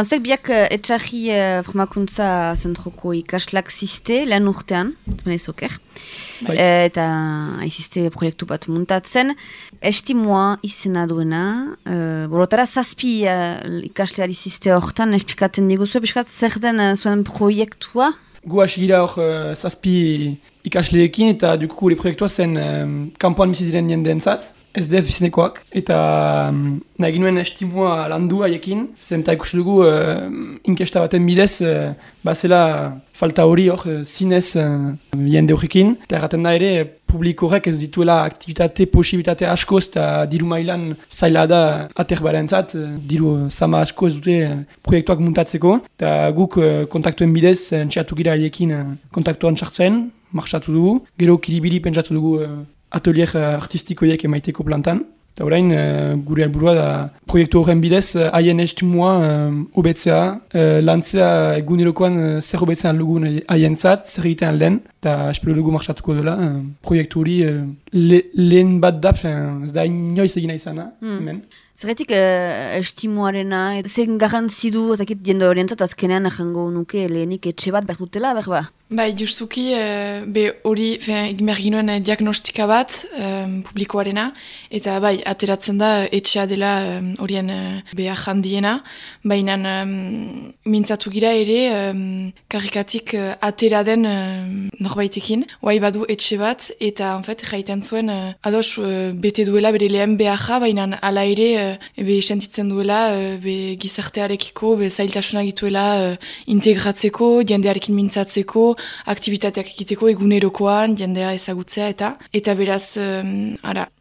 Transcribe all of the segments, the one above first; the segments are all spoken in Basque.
Zuek biak etxarri formakuntza zentroko ikaslak ziste, lehen urtean, oker. Eta aiziste proiektu bat muntatzen. Estimoa izena duena, borotara zazpi ikasleari ziste hortan, espikatzen diguzu, piskat zer den zuen proiektua? Gu hasi gira hor zazpi ikasleekin eta duku gure proiektua zen kanpoan bizi diren jendeentzat. SDF izenekoak, eta nahi ginuen estimoa landu haiekin, zenta ikusi dugu inkesta baten bidez, bazela falta hori hor zinez jende horrekin, eta erraten da ere publiko horrek ez dituela aktivitate, posibilitate askoz, eta diru mailan zaila da aterbarentzat, diru sama askoz dute proiektuak muntatzeko, eta guk kontaktuen bidez entxeatu gira haiekin kontaktuan txartzen, marxatu dugu, gero kiribili pentsatu dugu atelier artistikoiek emaiteko plantan. Eta orain, gure helburua da proiektu horren bidez, haien estimua hobetzea, lantzea egunerokoan zer hobetzean lugun haien zat, zer egitean lehen, eta espero dugu marxatuko dela. Proiektu hori lehen bat da, ez da inoiz egina izana, hemen. Zerretik estimuarena, zen garrantzi du, ezakit jende orientzat azkenean ahango nuke lehenik etxe bat behar dutela, berba? Bai, justuki, hori egin behar ginoen diagnostika bat publikoarena, eta bai, ateratzen da etxea dela horien behar handiena, baina mintzatu gira ere karikatik atera den norbaitekin, oai badu etxe bat, eta jaiten zuen ados bete duela bere lehen beharra, baina ala ere sentitzen duela gizartearekiko, zailtasuna gituela integratzeko, jendearekin mintzatzeko, aktivitateak egiteko egunerokoan, jendea ezagutzea eta beraz,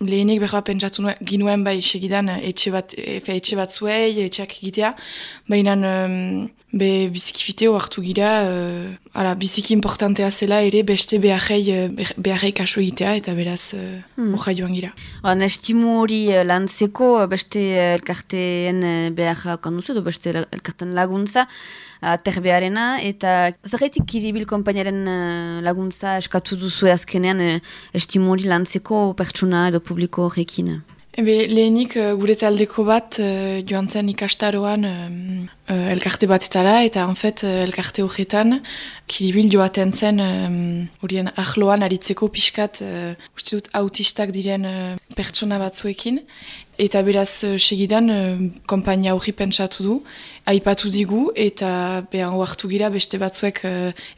lehenik berba pentsatu ginuen bai segidan etxe bat zuei, etxeak egitea, baina biziki hartu gira, biziki importantea zela ere beste beharrei kaso egitea eta beraz hoja joan gira. Estimu hori lantzeko beste elkarteen beharra kanduzu edo beste elkarten laguntza aterbearena eta zerretik Kiribil konpainaren laguntza eskatu duzu azkenean estimu hori lantzeko pertsona edo publiko horrekin? Lehenik gure taldeko bat joan zen ikastaroan elkarte batetara eta elkarte horretan Kiribil joaten zen horien ahloan aritzeko pixkat uste dut autistak diren pertsona batzuekin eta beraz segidan konpainia horri pentsatu du, aipatu digu eta hartu gira beste batzuek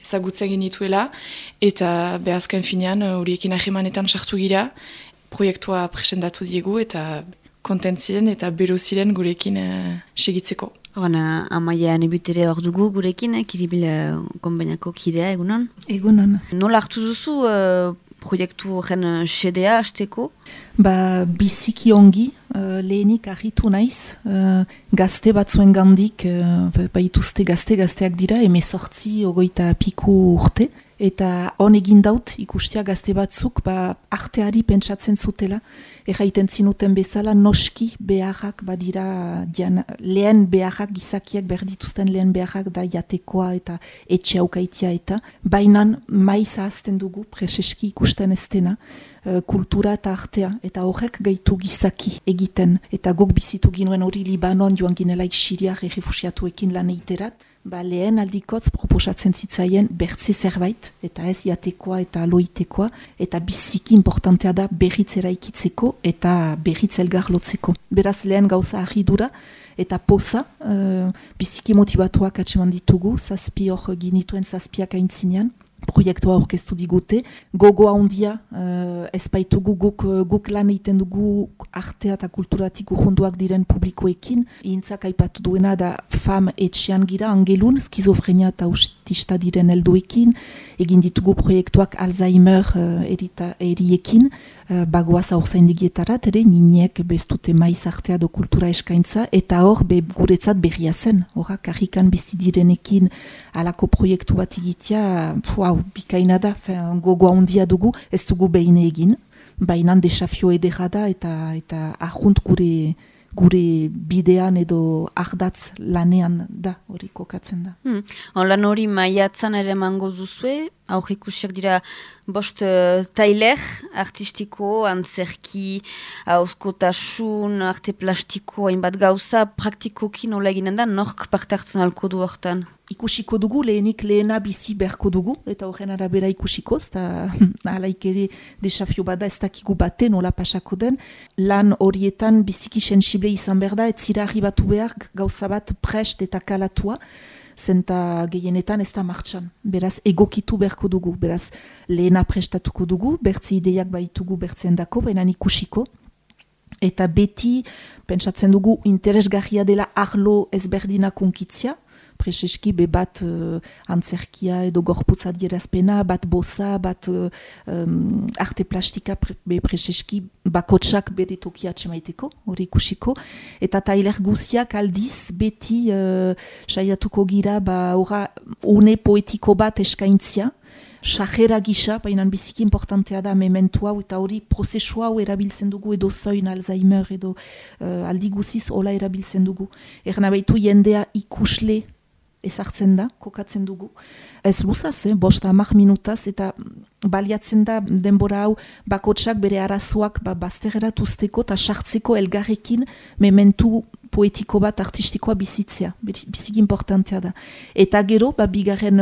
ezagutzen genituela eta azken finean horiekin ahemanetan sartu gira, proiektua presentatu diegu eta kontent ziren eta bero ziren gurekin segitzeko. Amaia nebutere hor dugu gurekin, Kiribil konbainako kidea, egunon? Egunon. Nola hartu duzu proiektu horren xedea hasteko? Biziki ongi, lehenik argitu naiz, gazte batzuen gandik, baituzte gazteak dira, 18 piku urte, eta hon egin daut ikustia gazte batzuk arteari pentsatzen zutela, erraiten zinuten bezala noski beharrak badira, lehen beharrak gizakiak berdituzten lehen beharrak da jatekoa eta etxe aukaitia eta, bainan maiz ahazten dugu preseski ikusten ez dena, kultura eta artea, eta horrek gaitu gizaki egiten, eta guk bizitu ginuen hori Libanon joan ginelaik Siriar errefusiatuekin lan eiterat, lehen aldikotz proposatzen zitzaien bertze zerbait, eta ez jatekoa eta aloitekoa, eta biziki importantea da berriz eraikitzeko eta berriz elgar lotzeko. Beraz lehen gauza ahidura, eta poza, biziki motibatuak atseman ditugu, zazpi hor ginituen zazpiak aintzinean, proiektua aurkeztu digute, gogoa handia ezpaitugu guk lan egiten dugu artea eta kulturatik urrunduak diren publikoekin, intzak aipatu duena da fam etxean gira angelun, skizofrenia eta autista diren helduekin, egin ditugu proiektuak Alzheimer eriekin, bagoaz aurzaindigietarat, ere niniek bestute maiz artea do kultura eskaintza, eta hor guretzat berria zen, horrak karrikan bizi direnekin alako proiektu bat egitea, bikaina da, gogoa handia dugu, ez dugu behin egin, bainan desafio edera da, eta ahunt gure bidean edo ardatz lanean da, hori kokatzen da. Lan hori maiatzan ere mango duzue, aurrikusiak dira bost tailer artistiko, antzerki, auskotasun, arte plastiko, hainbat gauza, praktikoki nola eginen da, nork parte hartzen alko du hortan? Ikusiko dugu, lehena bizi beharko dugu, eta horren arabera ikusiko, eta alaik ere desafio bada ez dakigu baten nola pasako den, lan horietan biziki sensible izan behar da, ez zira arribatu behar gauza bat prest eta kalatua, zenta gehienetan ez da martxan. Beraz, egokitu beharko dugu, beraz, lehena prestatuko dugu, bertzi ideiak baitugu bertzen dako, benan ikusiko, eta beti, pentsatzen dugu, interesgarria dela arlo ezberdinak unkitzia, preseski be bat antzerkia edo gorputz adierazpena, bat boza, bat arte plastika be preseski bakotsak bere tokia atxemaiteko, hori ikusiko. Eta tailer guziak aldiz beti saiatuko gira une poetiko bat eskaintzia, sajera gisa, bainan biziki importantea da mementua, eta hori prozesua hau erabiltzen dugu, edo zoin Alzheimer, edo aldi guziz hola erabiltzen dugu. Erna baitu jendea ikusle ezartzen da, kokatzen dugu. Ez luzaz, bosta 10 minutaz, eta baliatzen da denbora hau bakotsak bere arazoak bazterrerat usteko eta sartzeko elgarrekin mementu poetiko bat artistikoa bizitzea. Biziki importantea da. Eta gero, bigarren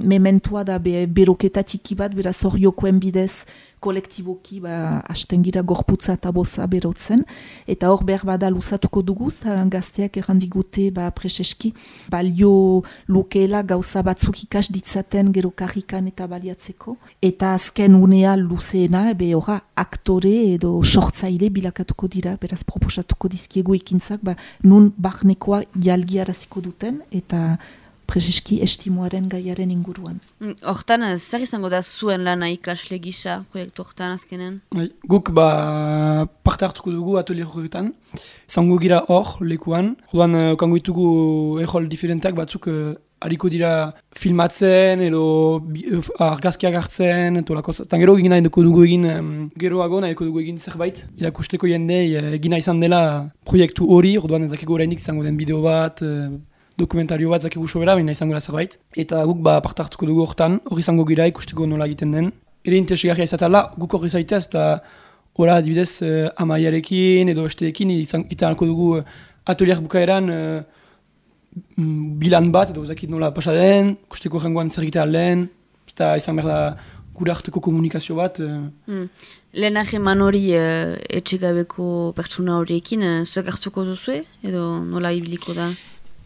mementua da beroketa tiki bat, beraz horiokoen bidez kolektiboki hasten gira gorputza eta boza berotzen, eta hor behar bada luzatuko dugu, gazteak errandigute preseski, balio lukeela gauza batzuk ikas ditzaten gero karrikan eta baliatzeko, eta azken unea luzeena, horra aktore edo sortzaile bilakatuko dira, beraz proposatuko dizkiegu ekintzak, nun barnekoa jalgiaraziko duten, eta preseski estimoaren gaiaren inguruan. Hortan, zer izango da zuen lana ikasle gisa proiektu hortan azkenen? Guk parte hartuko dugu atelier horretan. Zango gira hor, lekuan. Jodan, kango ditugu errol diferenteak batzuk hariko dira filmatzen edo argazkiak hartzen, eta gero egin nahi dugu egin geroago nahi dugu egin zerbait. Irakusteko jendei egina izan dela proiektu hori, orduan ezakiko orainik izango den bideo bat, dokumentario bat zakigu sobera, baina izango da zerbait. Eta guk parte hartuko dugu hortan, hori izango gira ikusteko nola egiten den. Ere interesgarria izatela, guk hori zaitez, eta hori adibidez amaiarekin edo besteekin izan alko dugu atelier bukaeran bilan bat, edo zakit nola pasa den, ikusteko rengoan zer egitea lehen, eta izan behar da gure arteko komunikazio bat. Lehenak eman hori etxegabeko pertsona horiekin, zuek hartuko duzue, edo nola ibiliko da?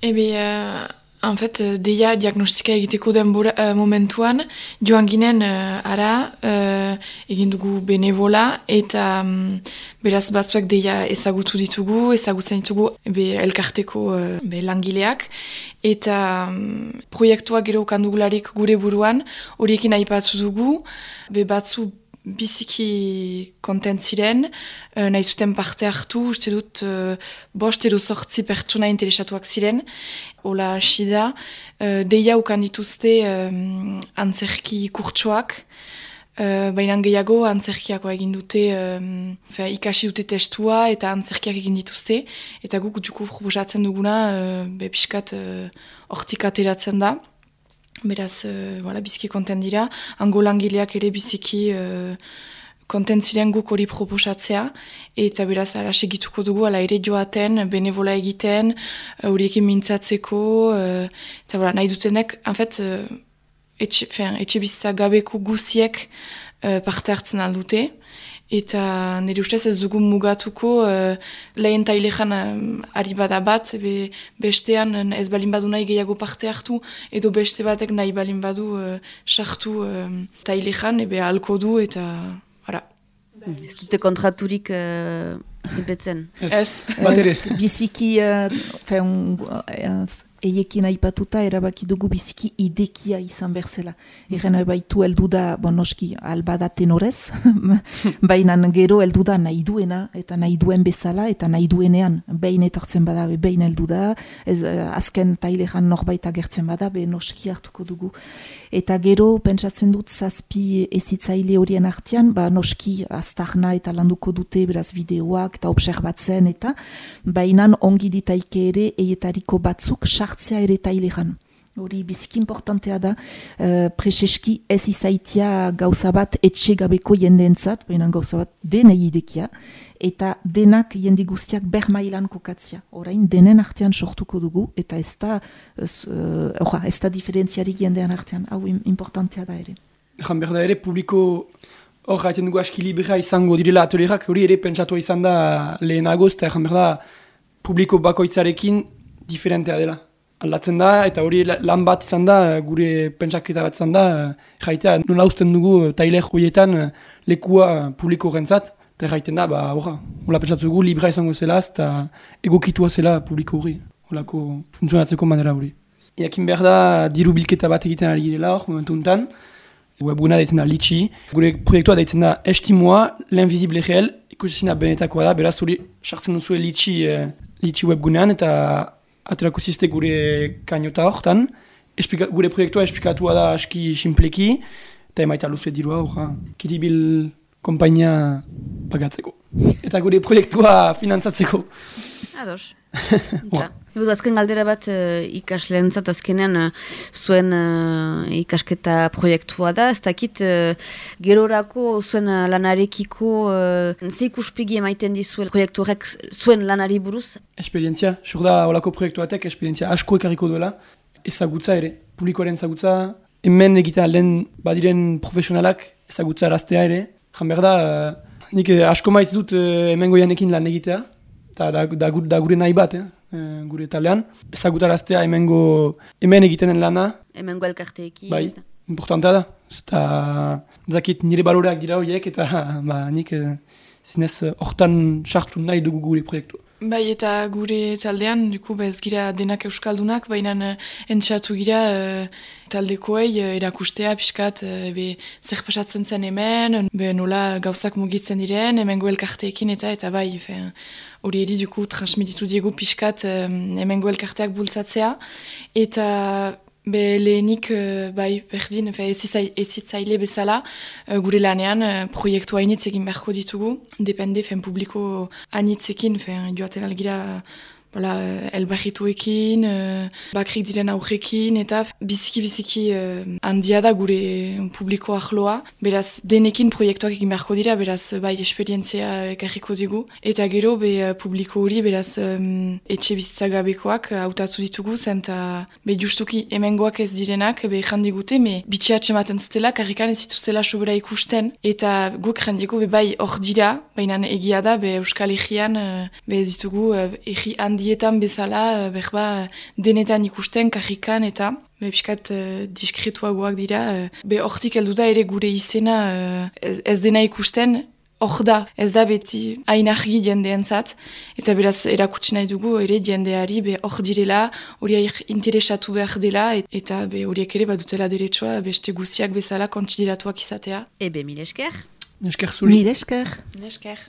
En fait, deia diagnostika egiteko den momentuan, joan ginen egin dugu benevola, eta beraz batzuek deia ezagutzen ditugu elkarteko langileak, eta proiektuak gero kandugularik gure buruan, horiekin aipatu dugu, batzu biziki kontent ziren, nahi zuten parte hartu, uste dut 5 edo 8 pertsona interesatuak ziren, hola hasi da, deia ukan dituzte antzerki kurtsoak, baina gehiago antzerkiakoa egin dute, ikasi dute testua eta antzerkiak egin dituzte, eta guk duku proposatzen duguna, pixkat hortik ateratzen da. Beraz, biziki kontent dira. Hango langileak ere biziki kontent ziren guk hori proposatzea. Eta beraz, ara segituko dugu, ala ere joaten, benevola egiten, horiekin mintzatzeko. Eta nahi dutenek, en fait, etxe bizitza gabeko guziek parte hartzen aldute. Eta nire ustez ez dugu mugatuko lehen tailejan ari bada bat, bestean ez balin badu nahi gehiago parte hartu, edo beste batek nahi balin badu sartu tailejan, halko du eta ara. Ez dute kontraturik zinpetzen? Ez, bat ere. Biziki, eiekin aipatuta erabaki dugu biziki idekia izan berzela. Egen baitu heldu da, noski, albada tenorez, baina gero heldu da nahi duena, eta nahi duen bezala, eta nahi duenean, behin etortzen bada, behin heldu da, azken tailejan norbait agertzen bada, noski hartuko dugu. Eta gero, pentsatzen dut, 7 ezitzaile horien artean, noski, aztarna eta landuko dute, beraz, bideoak, denak eta obserbatzen eta bainan ongi ditaike ere eietariko batzuk sartzea ere taileran. Hori biziki importantea da, preseski ez izaitia gauza bat etxe gabeko jendeentzat, baina gauza bat denei idekia, eta denak jende guztiak ber mailan kokatzia. Orain denen artean sortuko dugu, eta ez da diferentziarik jendean artean, hau importantea da ere. Egan behar da ere, publiko hor gaiten dugu aski libera izango direla atelierak, hori ere pentsatu izan da lehenagoz, eta egan behar da, publiko bakoitzarekin diferentea dela. Aldatzen da, eta hori lan bat izan da, gure pentsaketa bat izan da, jaitea nola usten dugu tailer horietan lekua publiko rentzat, eta jaiten da, hola pentsatu dugu, libra izango zela, eta egokitua zela publiko hori, holako funtzionatzeko manera hori. Iakin behar da, diru bilketa bat egiten ari girela hor, momentu untan, webguna deitzen da Litchi, gure proiektua deitzen da Estimoa, l'invisible réel, ikusizina benetakoa da, beraz hori sartzen duzu Litchi webgunean, eta aterako ziste gure kainota hortan, gure proiektua esplikatua da aski simpleki, eta emaita luzue dirua, Kiribil kompainia pagatzeko. Eta gure proiektua finantzatzeko. Ados. Ebu azken galdera bat ikasleentzat azkenean zuen ikasketa proiektua da, ez dakit gerorako zuen lanarekiko ze ikuspegi emaiten dizuen proiektu horrek zuen lanari buruz? Esperientzia, sur da holako proiektuatek esperientzia asko ekarriko duela, ezagutza ere, publikoaren ezagutza, hemen egiten lehen badiren profesionalak ezagutza araztea ere, jan behar da, nik asko maite dut hemen goianekin lan egitea, eta da gure nahi bat, gure talean. Ezagutaraztea hemen egiten den lana. Hemengo elkarteekin. Bai, importantea da. Eta zakit nire baloreak dira horiek, eta nik zinez hortan sartu nahi dugu gure proiektua. Bai, eta gure taldean, ez gira denak euskaldunak, baina entxatu gira taldekoei erakustea, pixkat, zer pasatzen zen hemen, nola gauzak mugitzen diren, hemengo elkarteekin eta bai, hori eri transmititu diegu pixkat hemengo elkarteak bultzatzea, eta lehenik berdin, etzitzaile bezala, gure lanean proiektu hainitz egin beharko ditugu, depende publiko hainitzekin, joaten algira elbarrituekin, bakrik diren aurrekin, eta biziki handia da gure publiko ahloa. Beraz, denekin proiektuak egin beharko dira, beraz, esperientzia ekarriko digu. Eta gero, publiko hori, beraz, etxe bizitzagabekoak hautatu ditugu, zen, eta justuki hemengoak ez direnak, jandigute, bitxeatxe ematen zutela, karrikan ez zituzela sobera ikusten, eta guk jandiko, hor dira, baina egia da, Euskal Herrian, ez ditugu, herri handietan bezala, denetan ikusten, karrikan, eta piskat diskretuagoak dira. Hortik heldu da ere gure izena ez dena ikusten, hor da, ez da beti hain argi jendeentzat, eta beraz erakutsi nahi dugu ere jendeari hor direla, hori interesatu behar dela, eta horiek ere badutela deretsua beste guziak bezala kontsideratuak izatea. Mil esker. Mil esker zuri. Mil esker. Mil esker.